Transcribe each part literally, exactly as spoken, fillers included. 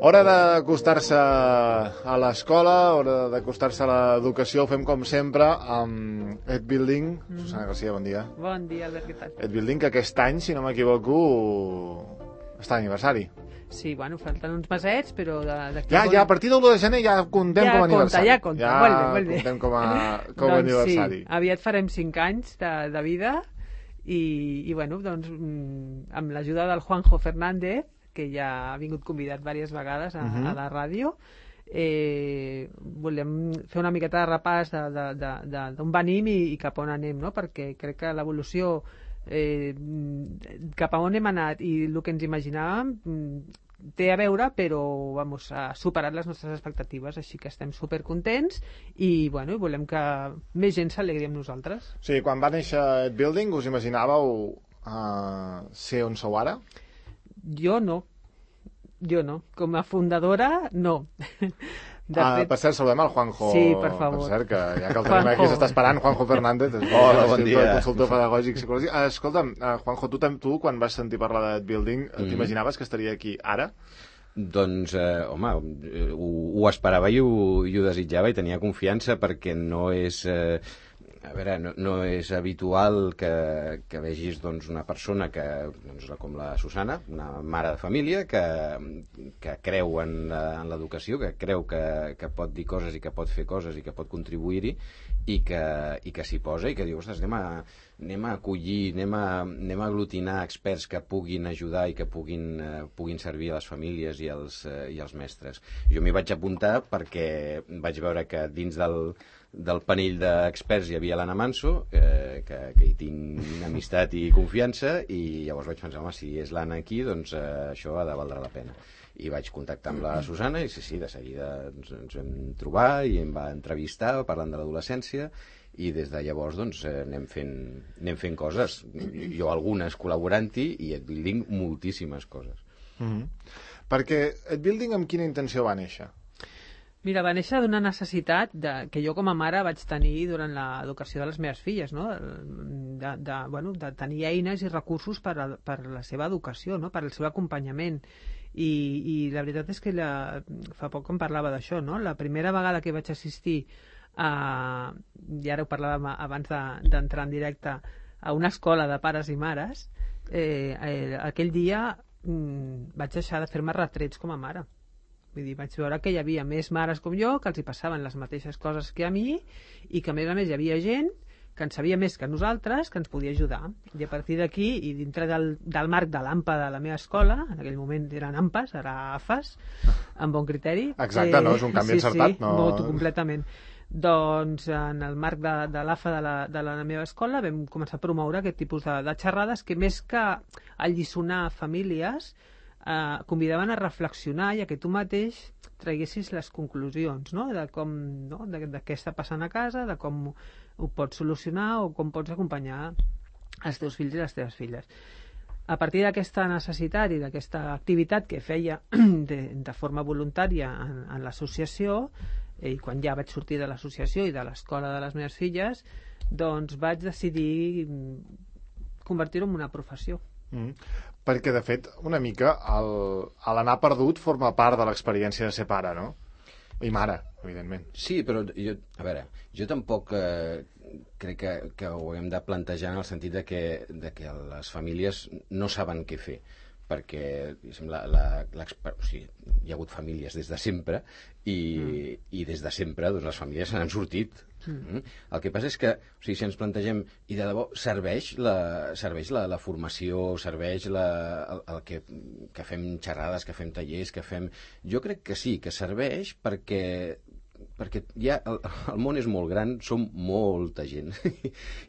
Hora d'acostar-se a l'escola, hora d'acostar-se a l'educació, ho fem com sempre amb Ed Building. Mm. Susana Garcia, bon dia. Bon dia, Albert, què tal? Ed Building, que aquest any, si no m'equivoco, està d'aniversari. Sí, bueno, falten uns mesets, però... De, de ja, ja, a partir de l'u de gener ja comptem ja com a compta, aniversari. Ja compta, ja compta, molt bé, molt bé. Ja comptem com a, com a doncs aniversari. Sí, aviat farem cinc anys de, de vida i, i bueno, doncs, amb l'ajuda del Juanjo Fernández, que ja ha vingut convidat diverses vegades a, uh -huh. a la ràdio, eh, volem fer una miqueta de repàs d'on venim i, i cap on anem, no? Perquè crec que l'evolució eh, cap a on hem anat i el que ens imaginàvem té a veure, però vamos, ha superat les nostres expectatives, així que estem supercontents i bueno, volem que més gent s'alegri amb nosaltres. Sí, quan va néixer Ed Building us imaginàveu uh, ser on sou ara? Jo no. Jo no. Com a fundadora, no. De ah, fet... Per cert, saludem al Juanjo. Sí, per favor. Per cert, que ja que el tenim aquí s'està esperant, Juanjo Fernández. Hola, bon dia. Consultor pedagògic psicològic. Uh, escolta'm, uh, Juanjo, tu, tu quan vas sentir parlar d'Ed Building, mm. t'imaginaves que estaria aquí ara? Doncs, eh, home, ho, ho esperava i ho, i ho desitjava i tenia confiança perquè no és... Eh, A veure, no, no és habitual que, que vegis doncs, una persona que, doncs, com la Susana, una mare de família, que, que creu en, en l'educació, que creu que, que pot dir coses i que pot fer coses i que pot contribuir-hi i que, i que s'hi posa i que diu, ostres, anem a, anem a acollir, anem a, anem a aglutinar experts que puguin ajudar i que puguin, eh, puguin servir a les famílies i als, eh, i als mestres. Jo m'hi vaig apuntar perquè vaig veure que dins del del panell d'experts hi havia l'Anna Manso, eh, que, que hi tinc amistat i confiança, i llavors vaig pensar, home, si és l'Anna aquí, doncs eh, això ha de valdre la pena. I vaig contactar amb la Susana i sí, sí, de seguida ens, ens vam trobar i em va entrevistar parlant de l'adolescència i des de llavors doncs, eh, anem, fent, anem fent coses. Jo algunes col·laborant-hi i Ed Building moltíssimes coses. Mm-hmm. Perquè Ed Building amb quina intenció va néixer? Mira, va néixer d'una necessitat de, que jo com a mare vaig tenir durant l'educació de les meves filles, no? de, de, bueno, de tenir eines i recursos per, a, per la seva educació, no? Per al seu acompanyament. I, i la veritat és que la, fa poc em parlava d'això, no? La primera vegada que vaig assistir a, i ara ho parlàvem abans d'entrar de, en directe, a una escola de pares i mares, eh, eh, aquell dia mm, vaig deixar de fer-me retrets com a mare. Vull dir, vaig veure que hi havia més mares com jo que els hi passaven les mateixes coses que a mi i que a més a més hi havia gent que en sabia més que nosaltres, que ens podia ajudar. I a partir d'aquí, i dintre del, del marc de l'AMPA de la meva escola, en aquell moment eren AMPAs, ara AFAs, amb bon criteri. Exacte, eh, no? És un canvi sí, encertat. Sí, no... molt, completament. Doncs en el marc de, de l'AFA de la, de la meva escola vam començar a promoure aquest tipus de, de xerrades que més que alliçonar famílies eh, convidaven a reflexionar i a que tu mateix traguessis les conclusions, no? De com, no? De, de què està passant a casa, de com ho, ho pots solucionar o com pots acompanyar els teus fills i les teves filles. A partir d'aquesta necessitat i d'aquesta activitat que feia de, de forma voluntària en, en l'associació, i quan ja vaig sortir de l'associació i de l'escola de les meves filles, doncs vaig decidir convertir-ho en una professió. Mm. Perquè, de fet, una mica l'anar perdut forma part de l'experiència de ser pare, no? I mare, evidentment. Sí, però jo, a veure, jo tampoc eh, crec que, que ho hem de plantejar en el sentit de que, de que les famílies no saben què fer, perquè la, la, o sigui, hi ha hagut famílies des de sempre i, mm. i des de sempre doncs, les famílies se n'han sortit. Mm. El que passa és que, o sigui, si ens plantegem i de debò serveix la, serveix la, la formació, serveix la, el, el que, que fem xerrades, que fem tallers, que fem... Jo crec que sí, que serveix perquè perquè ja el, el món és molt gran, som molta gent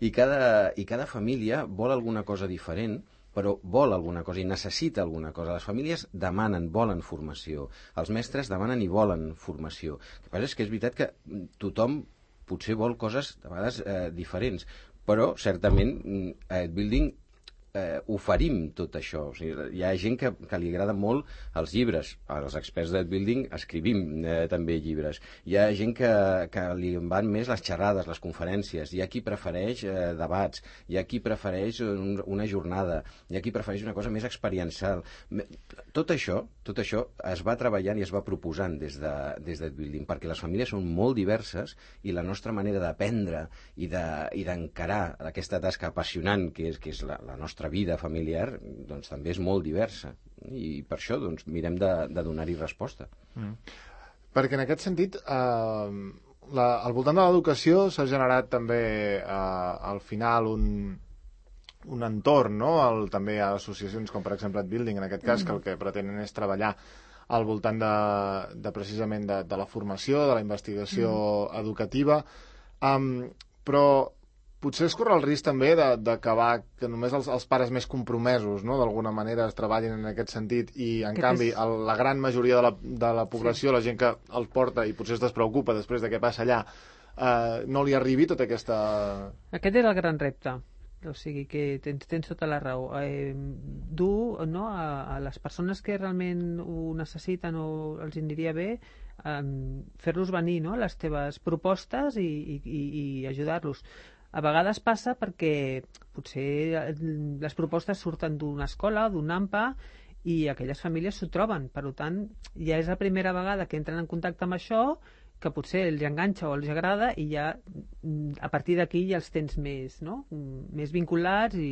i cada, i cada família vol alguna cosa diferent, però vol alguna cosa i necessita alguna cosa. Les famílies demanen, volen formació. Els mestres demanen i volen formació. El que passa és que és veritat que tothom potser vol coses, de vegades, eh, diferents. Però, certament, a Ed Building eh, oferim tot això. O sigui, hi ha gent que, que li agrada molt els llibres. Els experts d'Ed Building escrivim eh, també llibres. Hi ha gent que, que li van més les xerrades, les conferències. Hi ha qui prefereix eh, debats. Hi ha qui prefereix un, una jornada. Hi ha qui prefereix una cosa més experiencial. Tot això, tot això es va treballant i es va proposant des de, des d'Ed Building, perquè les famílies són molt diverses i la nostra manera d'aprendre i de, i d'encarar aquesta tasca apassionant que és, que és la, la nostra vida familiar, doncs també és molt diversa i per això doncs, mirem de, de donar-hi resposta. Mm. Perquè en aquest sentit eh, la, al voltant de l'educació s'ha generat també eh, al final un, un entorn, no? El, també hi ha associacions com per exemple Ed Building en aquest cas, mm. que el que pretenen és treballar al voltant de, de precisament de, de la formació, de la investigació mm. educativa, um, però potser es corre el risc també d'acabar que només els, els pares més compromesos, no?, d'alguna manera es treballin en aquest sentit i, en Aquest canvi, és... el, la gran majoria de la, de la població, sí. la gent que el porta i potser es despreocupa després de què passa allà, eh, no li arribi tota aquesta... Aquest és el gran repte. O sigui que tens, tens tota la raó. Eh, dur, no, a, a les persones que realment ho necessiten o els aniria bé, eh, fer-los venir, no?, les teves propostes i, i, i, i ajudar-los. A vegades passa perquè potser les propostes surten d'una escola, d'un AMPA, i aquelles famílies s'ho troben. Per tant, ja és la primera vegada que entren en contacte amb això, que potser els enganxa o els agrada, i ja a partir d'aquí ja els tens més, no?, més vinculats i...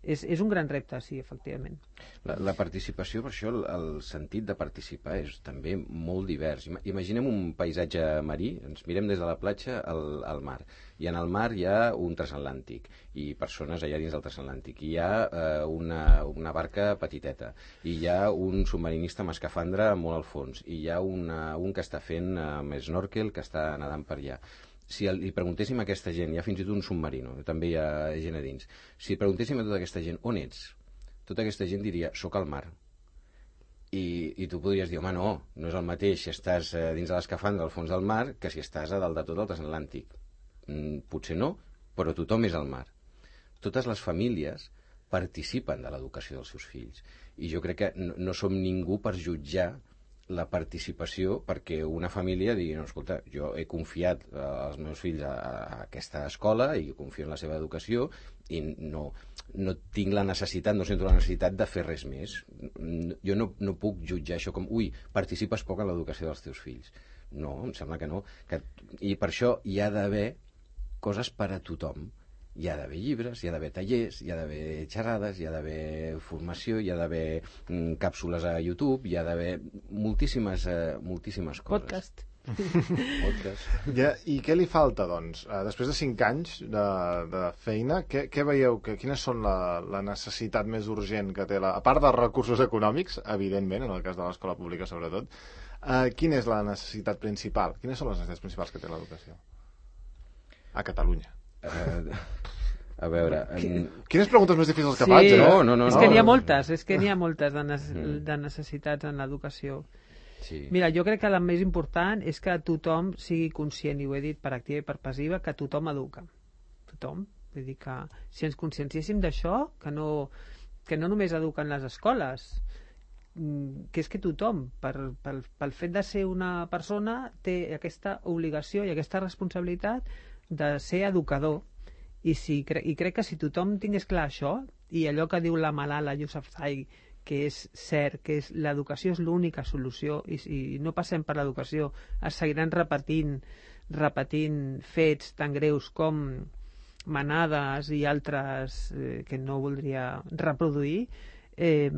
És, és un gran repte, sí, efectivament. La, la participació, per això, el, el sentit de participar és també molt divers. Imaginem un paisatge marí, ens mirem des de la platja al, al mar, i en el mar hi ha un transatlàntic, i persones allà dins del transatlàntic, i hi ha eh, una, una barca petiteta, i hi ha un submarinista amb escafandra molt al fons, i hi ha una, un que està fent amb snorkel, que està nedant per allà. Si li preguntéssim a aquesta gent, hi ha fins i tot un submarino, també hi ha gent a dins, si preguntéssim a tota aquesta gent, on ets? Tota aquesta gent diria, soc al mar. I, i tu podries dir, home, no, no és el mateix si estàs eh, dins de l'escafandra al fons del mar que si estàs a dalt de tot el transatlàntic. Mm, potser no, però tothom és al mar. Totes les famílies participen de l'educació dels seus fills. I jo crec que no, no som ningú per jutjar la participació perquè una família digui, no, escolta, jo he confiat eh, els meus fills a, a aquesta escola i confio en la seva educació i no, no tinc la necessitat, no sento la necessitat de fer res més. Jo no, no puc jutjar això com, ui, participes poc en l'educació dels teus fills. No, em sembla que no. Que, I per això hi ha d'haver coses per a tothom. Hi ha d'haver llibres, hi ha d'haver tallers, hi ha d'haver xerrades, hi ha d'haver formació, hi ha d'haver mm, càpsules a YouTube, hi ha d'haver moltíssimes, eh, moltíssimes coses. Podcast. Podcast. Ja, I què li falta, doncs? Uh, després de cinc anys de, de feina, què, què veieu? Que, quines són la, la necessitat més urgent que té, la, a part dels recursos econòmics, evidentment, en el cas de l'escola pública sobretot, uh, quina és la necessitat principal? Quines són les necessitats principals que té l'educació a Catalunya? Uh, a veure... En... Quines preguntes més difícils que sí, faig, eh? No, no, no. És no, que n'hi ha no. moltes, és que n'hi ha moltes de, ne de necessitats en l'educació. Sí. Mira, jo crec que la més important és que tothom sigui conscient, i ho he dit per activa i per passiva, que tothom educa. Tothom. Vull dir que si ens conscienciéssim d'això, que no, que no només eduquen les escoles, que és que tothom, per, pel, pel fet de ser una persona, té aquesta obligació i aquesta responsabilitat de ser educador. I, si, i crec que si tothom tingués clar això, i allò que diu la Malala Yousafzai, que és cert, que és l'educació és l'única solució, i si no passem per l'educació es seguiran repetint repetint fets tan greus com manades i altres eh, que no voldria reproduir. Eh,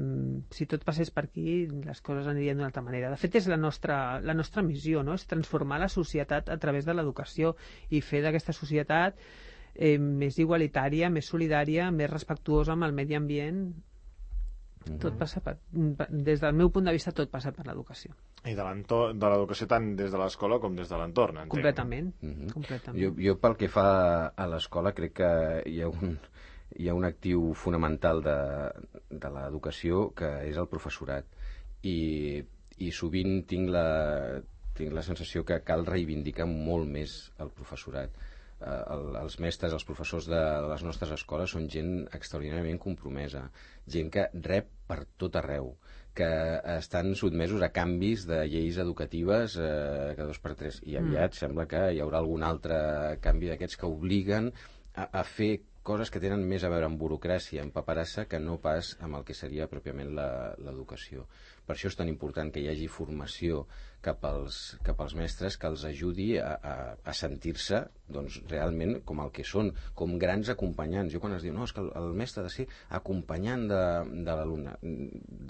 si tot passés per aquí, les coses anirien d'una altra manera. De fet, és la nostra, la nostra missió, no? És transformar la societat a través de l'educació i fer d'aquesta societat eh, més igualitària, més solidària, més respectuosa amb el medi ambient. Mm-hmm. Tot passa per, des del meu punt de vista, tot passa per l'educació. I de l'educació tant des de l'escola com des de l'entorn, entenc. Completament. Mm-hmm. Completament. Jo, jo pel que fa a l'escola crec que hi ha un... hi ha un actiu fonamental de, de l'educació que és el professorat i, i sovint tinc la, tinc la sensació que cal reivindicar molt més el professorat. el, els mestres, els professors de les nostres escoles són gent extraordinàriament compromesa, gent que rep per tot arreu, que estan sotmesos a canvis de lleis educatives eh, cada dos per tres, i aviat mm. sembla que hi haurà algun altre canvi d'aquests que obliguen a, a fer coses que tenen més a veure amb burocràcia, amb paperassa, que no pas amb el que seria pròpiament l'educació. Per això és tan important que hi hagi formació cap als, cap als mestres que els ajudi a, a, a sentir-se doncs, realment com el que són, com grans acompanyants. Jo quan es diu, no, és que el, el mestre ha de ser acompanyant de, de l'alumne.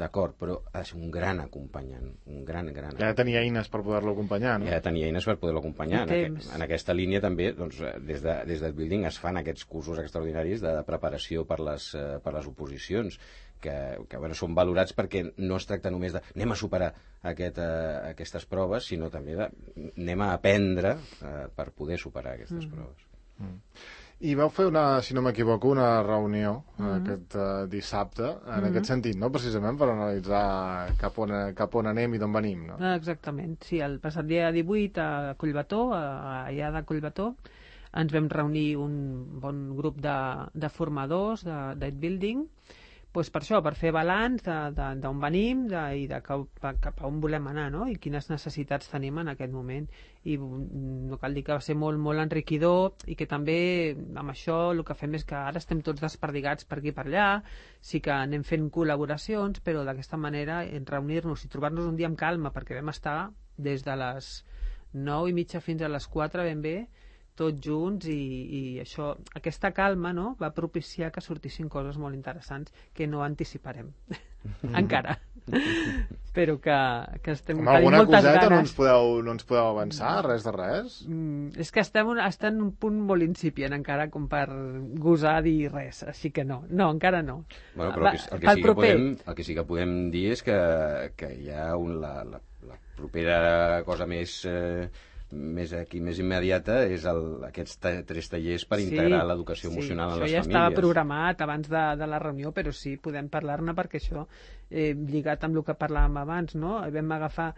D'acord, però ha de ser un gran acompanyant, un gran, gran acompanyant. Ja de tenir eines per poder-lo acompanyar, no? Ja de tenir eines per poder-lo acompanyar. En, aquest, en aquesta línia també, doncs, des de, des de Building es fan aquests cursos extraordinaris de preparació per les, per les oposicions, que, que bueno, són valorats perquè no es tracta només de anem a superar aquest, uh, aquestes proves, sinó també de anem a aprendre uh, per poder superar aquestes mm. proves. Mm. I vau fer, una, si no m'equivoco, una reunió mm. aquest uh, dissabte, en mm. aquest sentit, no? Precisament per analitzar cap on, cap on anem i d'on venim, no? Exactament, sí, el passat dia divuit a Collbató, allà de Collbató, ens vam reunir un bon grup de, de formadors d'Ed Building, pues per això, per fer balanç d'on venim de, i de cap, cap a on volem anar, no? I quines necessitats tenim en aquest moment. I no cal dir que va ser molt, molt enriquidor i que també amb això el que fem és que ara estem tots desperdigats per aquí i per allà, sí que anem fent col·laboracions, però d'aquesta manera reunir-nos i trobar-nos un dia amb calma, perquè vam estar des de les nou i mitja fins a les quatre ben bé, tots junts, i, i això, aquesta calma, no?, va propiciar que sortissin coses molt interessants que no anticiparem mm. encara, però que, que estem tenint moltes ganes. Alguna coseta no ens podeu, no ens podeu avançar, no. res de res? Mm, és que estem, estem en un punt molt incipient encara com per gosar dir res, així que no, no, encara no. Bueno, però el que, el que, sí, que podem, el que sí que podem dir és que, que hi ha un, la, la, la propera cosa més... Eh, més aquí, més immediata, és el, aquests tres tallers per sí, integrar l'educació emocional sí, en les famílies. Això ja estava programat abans de, de la reunió, però sí, podem parlar-ne perquè això, eh, lligat amb el que parlàvem abans, no? Vam agafar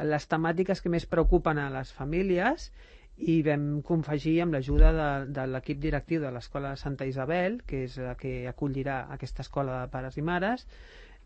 les temàtiques que més preocupen a les famílies i vam confegir amb l'ajuda de, de l'equip directiu de l'Escola de Santa Isabel, que és la que acollirà aquesta escola de pares i mares.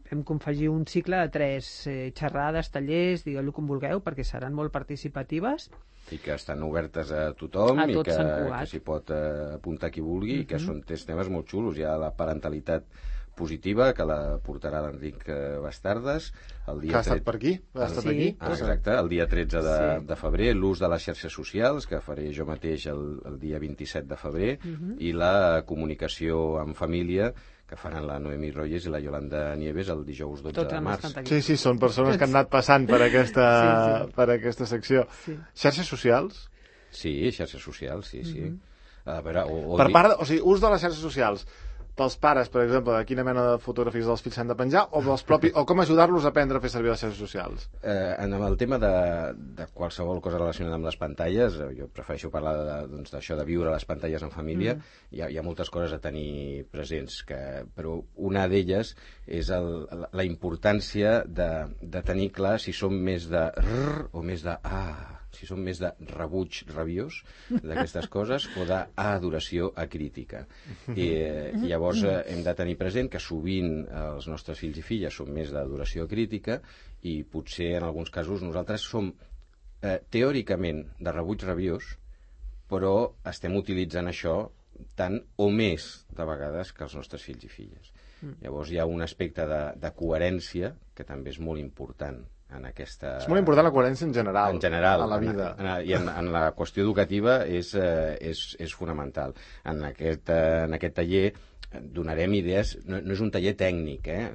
Vam confegir un cicle de tres eh, xerrades, tallers, digueu-lo com vulgueu, perquè seran molt participatives. I que estan obertes a tothom a i que, que s'hi pot eh, apuntar qui vulgui, uh-huh. i que són tres temes molt xulos. Hi ha la parentalitat positiva, que la portarà l'Enric Bastardes. El dia que ha estat per aquí? Ha estat sí. aquí? Ah, exacte, el dia tretze de, sí. de febrer, l'ús de les xarxes socials, que faré jo mateix el, el dia vint-i-set de febrer, uh-huh. i la comunicació en família, que faran la Noemí Royes i la Yolanda Nieves el dijous dotze de març. Sí, sí, són persones que han anat passant per aquesta, sí, sí. per aquesta secció. Sí. Xarxes socials? Sí, xarxes socials, sí, sí. Mm-hmm. A veure, o, o per part, o sigui, ús de les xarxes socials pels pares, per exemple, de quina mena de fotografies dels fills s'han de penjar, o, dels propis, o com ajudar-los a aprendre a fer servir les xarxes socials? Eh, en el tema de, de qualsevol cosa relacionada amb les pantalles, jo prefereixo parlar de, doncs, d'això de viure les pantalles en família, mm. hi, ha, hi ha moltes coses a tenir presents, que, però una d'elles és el, la importància de, de tenir clar si som més de rrr o més de ah, si som més de rebuig rabiós d'aquestes coses o d'adoració acrítica. I eh, llavors eh, hem de tenir present que sovint eh, els nostres fills i filles són més d'adoració acrítica i potser en alguns casos nosaltres som eh, teòricament de rebuig rabiós, però estem utilitzant això tant o més de vegades que els nostres fills i filles. Mm. Llavors hi ha un aspecte de, de coherència que també és molt important en aquesta... És molt important la coherència en general, en general a la vida. En, en, I en, en la qüestió educativa és, eh, és, és fonamental. En aquest, eh, en aquest taller donarem idees, no, no és un taller tècnic, eh?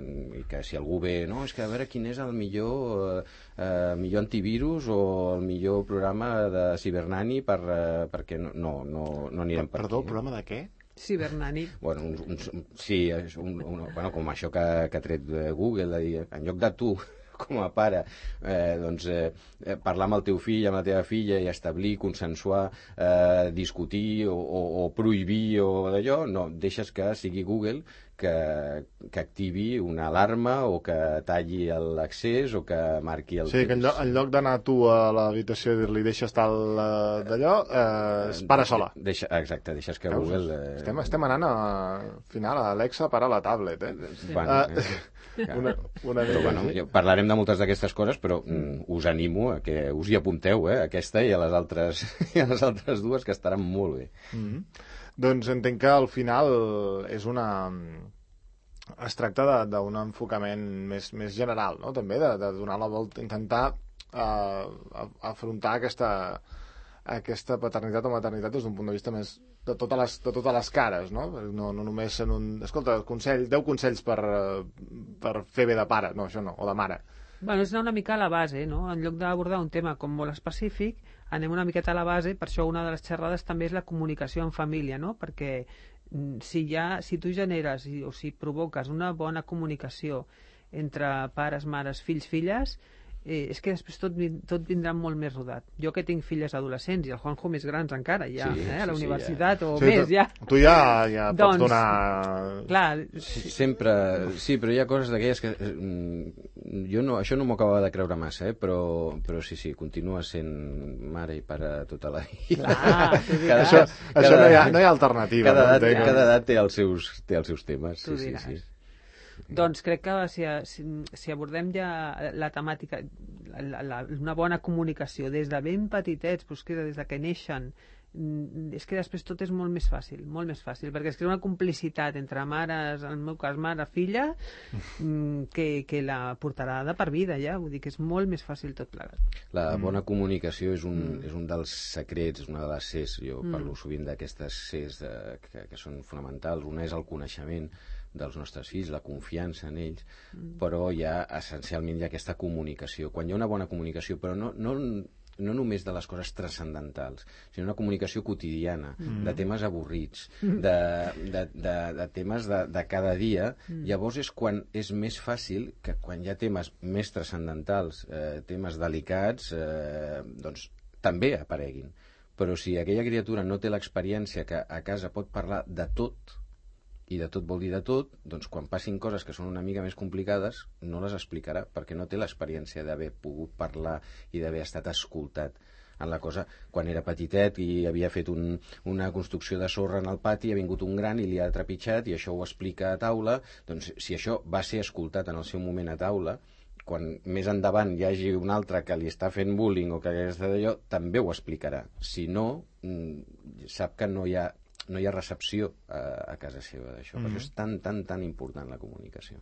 I que si algú ve, no, és que a veure quin és el millor, eh, millor antivirus o el millor programa de Cibernani per, eh, perquè no, no, no, no anirem per, per Perdó, aquí. el programa de què? Cibernani. Bueno, un, un, sí, és un, un, bueno, com això que, que ha tret Google, de dir, en lloc de tu com a pare, eh, doncs, eh, parlar amb el teu fill, amb la teva filla i establir, consensuar, eh, discutir o, o, o prohibir o d'allò, no, deixes que sigui Google que, que activi una alarma o que talli l'accés o que marqui el O sigui, que en lloc, en lloc d'anar tu a l'habitació i dir-li deixa estar el, d'allò, eh, es para sola. Deixa, exacte, deixes que Veus? Google... Eh... Estem, estem anant a... al final, a Alexa para la tablet, eh? Sí. Bueno, uh, eh, una, una però, bueno, jo parlarem de moltes d'aquestes coses, però mm, us animo a que us hi apunteu, eh? Aquesta i a les altres, i a les altres dues, que estaran molt bé. Mm -hmm. Doncs entenc que al final és una... es tracta d'un enfocament més, més general, no? També de, de donar la volta, intentar uh, afrontar aquesta, aquesta paternitat o maternitat des d'un punt de vista més de totes les, de totes les cares, no? No, no només en un... Escolta, consell, deu consells per, per fer bé de pare, no, això no, o de mare. Bueno, és anar una mica a la base, no? En lloc d'abordar un tema com molt específic, anem una miqueta a la base, per això una de les xerrades també és la comunicació en família, no? Perquè si, ja, si tu generes o si provoques una bona comunicació entre pares, mares, fills, filles, eh, és que després tot, tot vindrà molt més rodat. Jo que tinc filles adolescents i el Juanjo més grans encara, ja, sí, eh, a la sí, universitat sí, ja. o sí, més, tu, ja. Tu ja, ja pots doncs, donar... Clar, sempre... Sí, però hi ha coses d'aquelles que... Jo no, això no m'ho acaba de creure massa, eh? però, però sí, sí, continua sent mare i pare tota la vida. clar, cada, això cada, això no, hi ha, no hi ha alternativa. Cada, no? edat, cada edat té els seus, té els seus temes. Tu sí, diràs. sí, sí. Doncs crec que si, si, si abordem ja la temàtica, la, la, una bona comunicació des de ben petitets, doncs que des de que neixen, és que després tot és molt més fàcil, molt més fàcil, perquè es crea una complicitat entre mares, en el meu cas mare-filla, que, que la portarà de per vida ja, vull dir que és molt més fàcil tot plegat. La bona comunicació és un, mm. és un dels secrets, és una de les Cs, jo Mm. parlo sovint d'aquestes Cs de, que, que són fonamentals. Una és el coneixement dels nostres fills, la confiança en ells, mm. però hi ha essencialment hi ha aquesta comunicació. Quan hi ha una bona comunicació, però no, no, no només de les coses transcendentals, sinó una comunicació quotidiana, mm. de temes avorrits, de, de, de, de temes de, de cada dia, mm. llavors és quan és més fàcil que quan hi ha temes més transcendentals, eh, temes delicats, eh, doncs també apareguin. Però si aquella criatura no té l'experiència que a casa pot parlar de tot, i de tot vol dir de tot, doncs quan passin coses que són una mica més complicades no les explicarà, perquè no té l'experiència d'haver pogut parlar i d'haver estat escoltat en la cosa. Quan era petitet i havia fet un, una construcció de sorra en el pati, ha vingut un gran i li ha trepitjat i això ho explica a taula, doncs si això va ser escoltat en el seu moment a taula, quan més endavant hi hagi un altre que li està fent bullying o que està d'allò, també ho explicarà. Si no, sap que no hi ha no hi ha recepció a, a casa seva d'això. Mm-hmm. Per això és tan, tan, tan important la comunicació.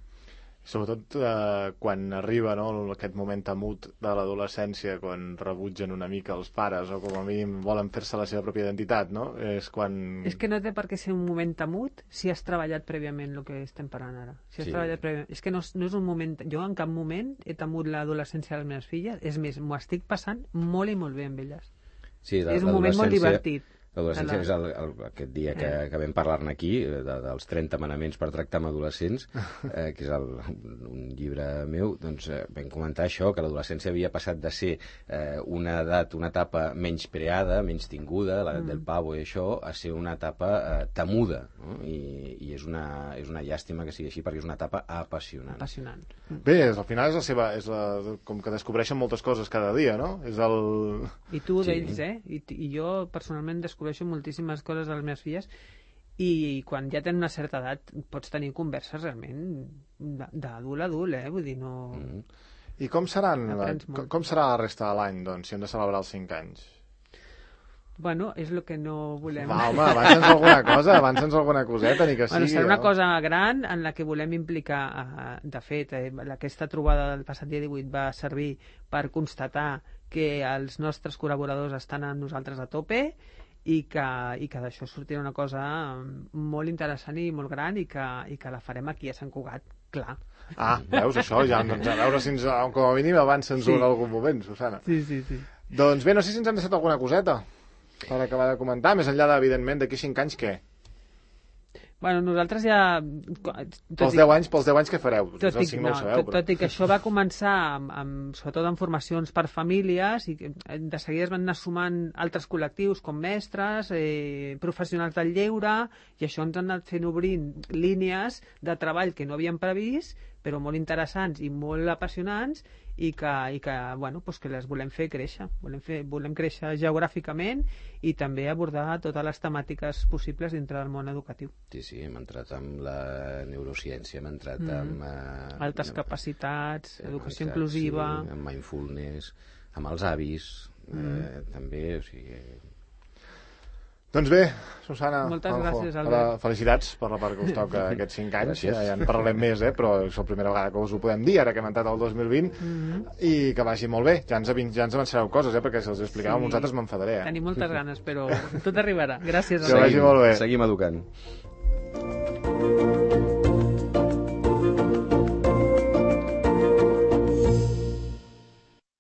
Sobretot eh, quan arriba, no, aquest moment temut de l'adolescència, quan rebutgen una mica els pares o com a mínim volen fer-se la seva pròpia identitat, no? És quan... És que no té per què ser un moment temut si has treballat prèviament el que estem parlant ara. Si has Sí. treballat prèviament... És que no, no és un moment... Jo en cap moment he temut l'adolescència de les meves filles. És més, m'ho estic passant molt i molt bé amb elles. Sí, la, És un moment molt l'adolescència- divertit. L'adolescència La- és el, el, aquest dia que, Eh. que vam parlar-ne aquí, de, dels trenta manaments per tractar amb adolescents, eh, que és el, un llibre meu, doncs eh, vam comentar això, que l'adolescència havia passat de ser eh, una edat, una etapa menys preada, menys tinguda, l'edat mm. del pavo i això, a ser una etapa eh, temuda, no? I, i és, una, és una llàstima que sigui així, perquè és una etapa apassionant. Apassionant. Bé, és, al final és la seva... És la, com que descobreixen moltes coses cada dia, no? És el... I tu Sí. d'ells, eh? I, I jo personalment descobreixo moltíssimes coses de les meves filles i quan ja tenen una certa edat pots tenir converses realment d'adult a adult, eh? Vull dir, no... Mm. I com seran, la, Aprens molt. com, com serà la resta de l'any, doncs, si hem de celebrar els cinc anys? Bueno, és el que no volem. Va, home, avança'ns alguna cosa, avança'ns alguna coseta, ni que Bueno, sigui... serà una no? cosa gran en la que volem implicar, eh, de fet, eh, aquesta trobada del passat dia divuit va servir per constatar que els nostres col·laboradors estan amb nosaltres a tope i que, i que d'això sortirà una cosa molt interessant i molt gran i que, i que la farem aquí a Sant Cugat, clar. Ah, veus, això ja, doncs a veure si ens, com a mínim avança'ns Sí. en algun moment, Susana. Sí, sí, sí. Doncs bé, no sé si ens han deixat alguna coseta per acabar de comentar, més enllà, de, evidentment, d'aquí cinc anys, què? Bueno, nosaltres ja... Pels deu anys, pels deu anys que fareu? Tot i, no, sabeu, tot, però... tot i que això va començar, amb, amb, sobretot en formacions per famílies, i de seguida es van anar sumant altres col·lectius com mestres, eh, professionals del lleure, i això ens han anat fent obrint línies de treball que no havíem previst, però molt interessants i molt apassionants, i que, i que, bueno, pues que les volem fer créixer. Volem, fer, volem créixer geogràficament i també abordar totes les temàtiques possibles dintre del món educatiu. Sí, sí, hem entrat amb la neurociència, hem entrat mm. amb... Eh, altes amb, capacitats, educació entrat, inclusiva... Sí, amb mindfulness, amb els avis, mm. eh, també, o sigui... Doncs bé, Susana, moltes Juanjo, gràcies, Albert. Felicitats per la part que us toca aquests cinc anys. Gràcies. Ja en parlarem més, eh? Però és la primera vegada que us ho podem dir, ara que hem entrat al dos mil vint, mm-hmm. i que vagi molt bé. Ja ens, ja ens avançareu coses, eh? Perquè si els explicàvem sí. uns altres m'enfadaré. Eh? Tenim moltes ganes, però tot arribarà. Gràcies. Que vagi molt bé. Seguim educant.